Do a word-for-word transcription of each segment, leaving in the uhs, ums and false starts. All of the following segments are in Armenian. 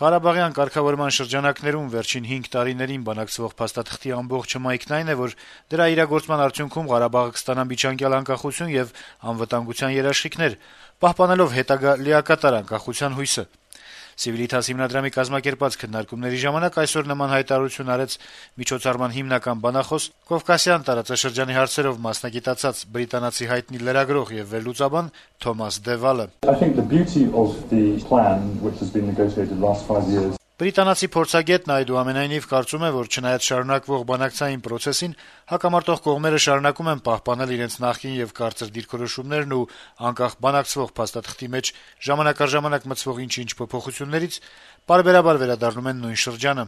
Ղարաբաղյան կարգավորման շրջանակներում վերջին հինգ տարիներին բանակցվող փաստաթղթի ամբողջ հմայքն այն է, որ դրա իրագործման արդյունքում Ղարաբաղը կստանա միջանկյալ անկախություն եւ անվտանգության երաշխիքներ, պահպանելով հետագա լիակատար անկախության հույսը։ Civitas հիմնադրամի կազմակերպած քննարկումների ժամանակ այսօր նման հայտարարություն արեց միջոցառման հիմնական բանախոս, Կովկասյան տարածաշրջանի հարցերով մասնագիտացած բրիտանացի հայտնի լրագրող եւ վերլուծաբան Թոմաս Դևալը։ Բրիտանացի փորձագետն այդուամենայնիվ կարծում է, որ չնայած շարունակվող բանակցային պրոցեսին, հակամարտող կողմերը շարունակում են պահպանել իրենց նախկին եւ կարծր դիրքորոշումներն ու անկախ բանակցվող փաստաթղթի մեջ ժամանակ առ ժամանակ մտցվող ինչ-ինչ փոփոխություններից պարբերաբար վերադառնում են նույն շրջանը։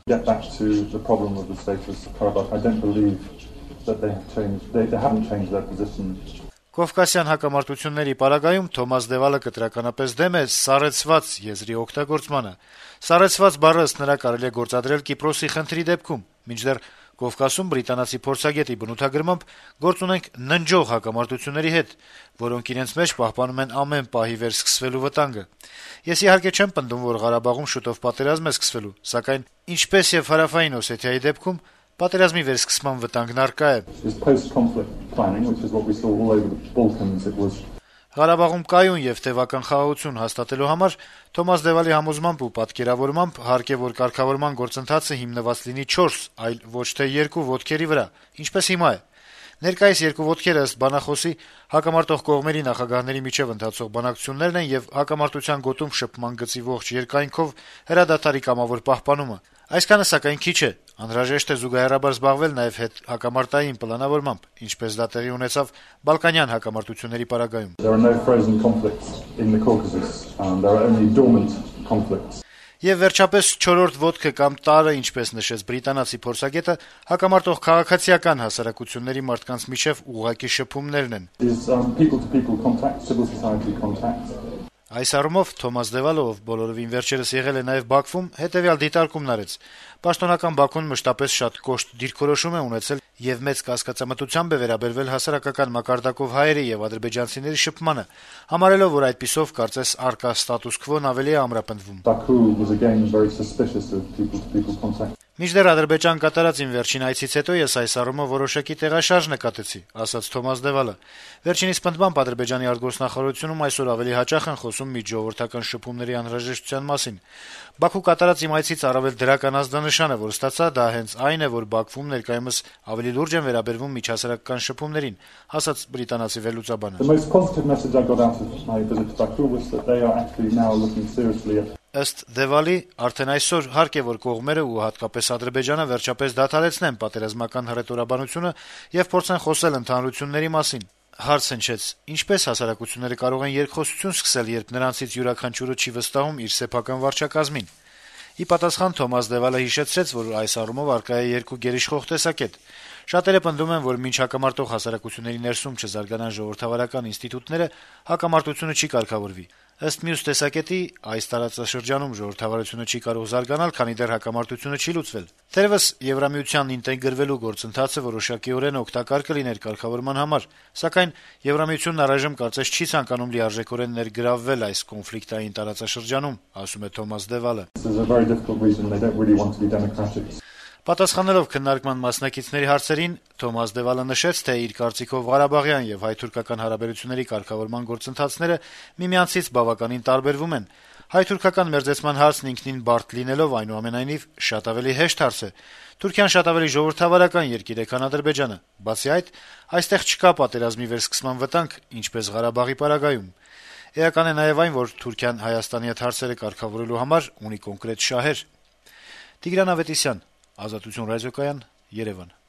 Կովկասյան հակամարտությունների պարագայում Թոմաս Դևալը կտրականապես դեմ է «սառեցված» եզրի օգտագործմանը։ «Սառեցված» բառը ըստ նրա կարելի է գործադրել Կիպրոսի խնդրի դեպքում, մինչդեռ Կովկասում բրիտանացի փորձագետի բնութագրմամբ գործ ունենք ննջող հակամարտությունների հետ, որոնք իրենց մեջ պահպանում են ամեն պահի վերսկսվելու վտանգը։ Ես իհարկե չեմ պնդում, որ Ղարաբաղում շուտով պատերազմ է սկսվելու, սակայն ինչպես եւ Հարավային Օսեթիայի դեպքում պատերազմի վերսկսման վտանգն առկա է։ Ղարաբաղում կայուն եւ տեւական խաղաղություն հաստատելու համար Թոմաս Դևալի համոզմամբ ու պատկերավորմամբ հարկ է, որ կարգավորման գործընթացը հիմնված լինի չորս, այլ ոչ թե երկու ոտքերի վրա, ինչպես հիմա է։ Ներկայիս երկու ոտքերը ըստ բանախոսի հակամարտող կողմերի նախագահների միջև ընթացող բանակցություններն են եւ հակամարտության գոտում շփման գծի ողջ երկայնքով հրադադարի կամավոր պահպանումը։ Այսքանը սակայն քիչ է, անհրաժեշտ է զուգահեռաբար զբաղվել նաեւ հետ հակամարտային պլանավորմամբ, ինչպես դա տեղի ունեցավ Բալկանյան հակամարտությունների պարագայում։ Եվ վերջապես չորրորդ ոտքը կամ տարը, ինչպես նշեց բրիտանացի փորձագետը, հակամարտող քաղաքացիական հասարակությունների մարդկանց միջև ուղղակի շփումներն են։ Այս առումով Թոմաս Դևալը, ով բոլորովին վերջերս եղել է նաեւ Բաքվում, հետեւյալ դիտարկումն արեց. Պաշտոնական Բաքուն մշտապես շատ կոշտ դիրքորոշում է ունեցել եւ մեծ կասկածամտությամբ է վերաբերվել հասարակական մակարդակով հայերի եւ ադրբեջանցիների շփմանը, համարելով, որ այդպիսով կարծես առկա ստատուս քվոն ավելի է ամրապնդվում։ Մինչդեռ Ադրբեջան կատարած իմ վերջին այցից հետո ես այս առումով որոշակի տեղաշարժ նկատեցի, ասաց Թոմաս Դևալը։ Վերջինիս պնդմամբ Ադրբեջանի արտգործնախարարությունում այսօր ավելի հաճախ են խոսում միջժողովրդական շփումների անհրաժեշտության մասին։ Բաքու կատարած իմ այցից առավել դրական ազդանշանը, որ ստացա, դա հենց այն է, որ Բաքվում ներկայումս ավելի լուրջ են վերաբերվում միջհասարակական շփումներին, ասաց բրիտանացի վերլուծաբանը։ Ըստ Դևալի, արդեն այսօր հարկ է, որ կողմերը ու հատկապես Ադրբեջանը վերջապես դադարեցնեն պատերազմական հռետորաբանությունը եւ փորձեն խոսել ընդհանրությունների մասին։ Հարց հնչեց. ինչպես հասարակությունները կարող են երկխոսություն սկսել, երբ նրանցից յուրաքանչյուրը չի վստահում իր սեփական վարչակազմին։ Ի պատասխան Թոմաս Դևալը հիշեցրեց, որ այս առումով առկա է երկու գերիշխող տեսակետ։ Շատերը պնդում են, որ մինչ հակամարտող հասարակությունների ներսում չզարգանան ժողովրդավարական ինստիտուտները, հակամարտությունը չի կարգավորվի։ Ըստ մյուս տեսակետի, այս տարածաշրջանում ժողովրդավարությունը չի կարող զարգանալ, քանի դեռ հակամարտությունը չի լուծվել։ Թերևս Եվրամիությանն ինտեգրվելու գործընթացը որոշակիորեն օգտակար կլիներ կարգավորման համար, սակայն Եվրամիությունն առայժմ կարծես չի ցանկանում լիարժեքորեն ներգրավվել այս կոնֆլիկտային տարածաշրջանում, ասում է Թոմաս Դևալը։ Պատասխանելով քննարկման մասնակիցների հարցերին, Թոմաս Դևալը նշեց, թե իր կարծիքով Ղարաբաղյան եւ հայ-թուրքական հարաբերությունների կարգավորման գործընթացները միմյանցից բավականին տարբերվում են։ Հայ-թուրքական մերձեցման հարցն ինքնին բարդ լինելով, այնուամենայնիվ շատ ավելի հեշտ հարց է։ Թուրքիան շատ ավելի ժողովրդավարական երկիր է, քան Ադրբեջանը։ Բացի այդ, այստեղ չկա պատերազմի վերսկսման վտանգ, ինչպես Ղարաբաղի պարագայում։ Էական է նաեւ այն, որ Թուրքիան Հայաստանի հետ հարցերը կարգավորելու համար ունի կոնկրետ շահեր։ Տիգրան Ավետիսյան, Ազատություն ռադիոկայան, Երևան։